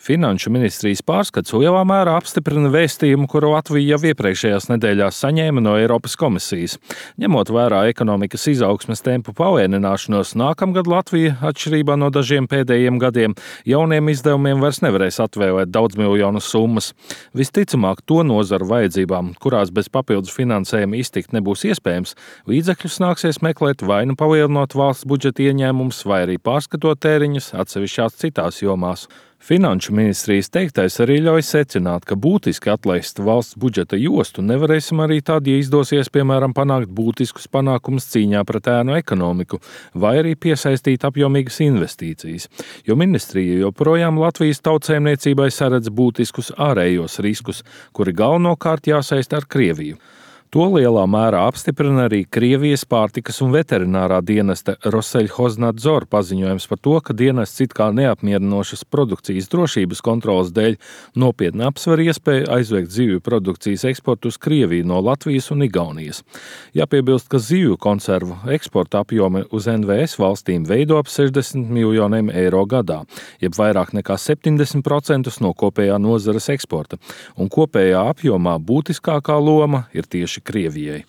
Finanšu ministrijas pārskats lielā mērā apstiprina vēstījumu, kuru Latvija jau iepriekšējās nedēļās saņēma no Eiropas komisijas. Ņemot vērā ekonomikas izaugsmes tempu palēnināšanos, nākamgad Latvija, atšķirībā no dažiem pēdējiem gadiem, jauniem izdevumiem vairs nevarēs atvēlēt daudzmiljonu summas. Visticamāk, to nozaru vajadzībām, kurās bez papildus finansējuma iztikt nebūs iespējams, līdzekļus nāksies meklēt vai nu palielinot valsts budžeta ieņēmumus, vai arī pārskatot tēriņus atsevišķās citās jomās. Finanšu ministrijas teiktais arī ļauj secināt, ka būtiski atlaist valsts budžeta jostu nevarēsim arī tad, ja izdosies, piemēram, panākt būtiskus panākumus cīņā pret ēnu ekonomiku, vai arī piesaistīt apjomīgas investīcijas, jo ministrija joprojām Latvijas tautsēmniecībai saredz būtiskus ārējos riskus, kuri galvenokārt jāsaist ar Krieviju. To lielā mērā apstiprina arī Krievijas pārtikas un veterinārā dienesta Roseļhoznadzor paziņojums par to, ka dienests it kā neapmierinošas produkcijas drošības kontrolas dēļ nopietni apsver iespēju aizliegt zivju produkcijas eksportu uz Krieviju no Latvijas un Igaunijas. Jāpiebilst, ka zivju konservu eksporta apjomi uz NVS valstīm veido ap 60 miljoniem eiro gadā, jeb vairāk nekā 70% no kopējā nozares eksporta, un kopējā apjomā būtiskākā loma ir tieši Krievijai.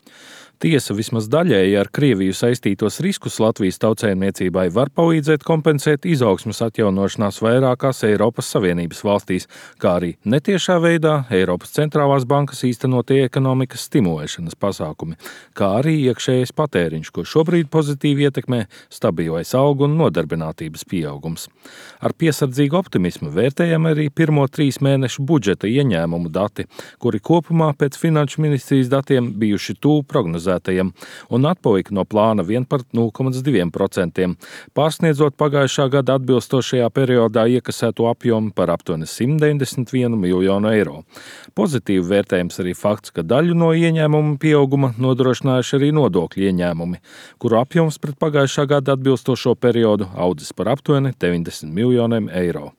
Tiesa vismaz daļēji ar Krieviju saistītos riskus Latvijas tautsēmniecībai var palīdzēt kompensēt izaugsmes atjaunošanās vairākās Eiropas Savienības valstīs, kā arī netiešā veidā Eiropas centrālās bankas īstenotie ekonomikas stimulēšanas pasākumi, kā arī iekšējais patēriņš, ko šobrīd pozitīvi ietekmē stabilais algu un nodarbinātības pieaugums. Ar piesardzīgu optimismu vērtējam arī pirmo 3 mēnešu budžeta ieņēmumu dati, kuri kopumā pēc Finanšu ministrijas datiem bijuši tuvu prognozētajiem un atpalika no plāna vien par 0,2%, pārsniedzot pagājušā gada atbilstošajā periodā iekasēto apjomu par aptuveni 191 miljonu eiro. Pozitīvi vērtējams arī fakts, ka daļu no ieņēmumu pieauguma nodrošinājuši arī nodokļu ieņēmumi, kuru apjoms pret pagājušā gada atbilstošo periodu audzis par aptuveni 90 miljoniem eiro.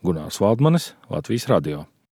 Gunārs Valdmanis, Latvijas radio.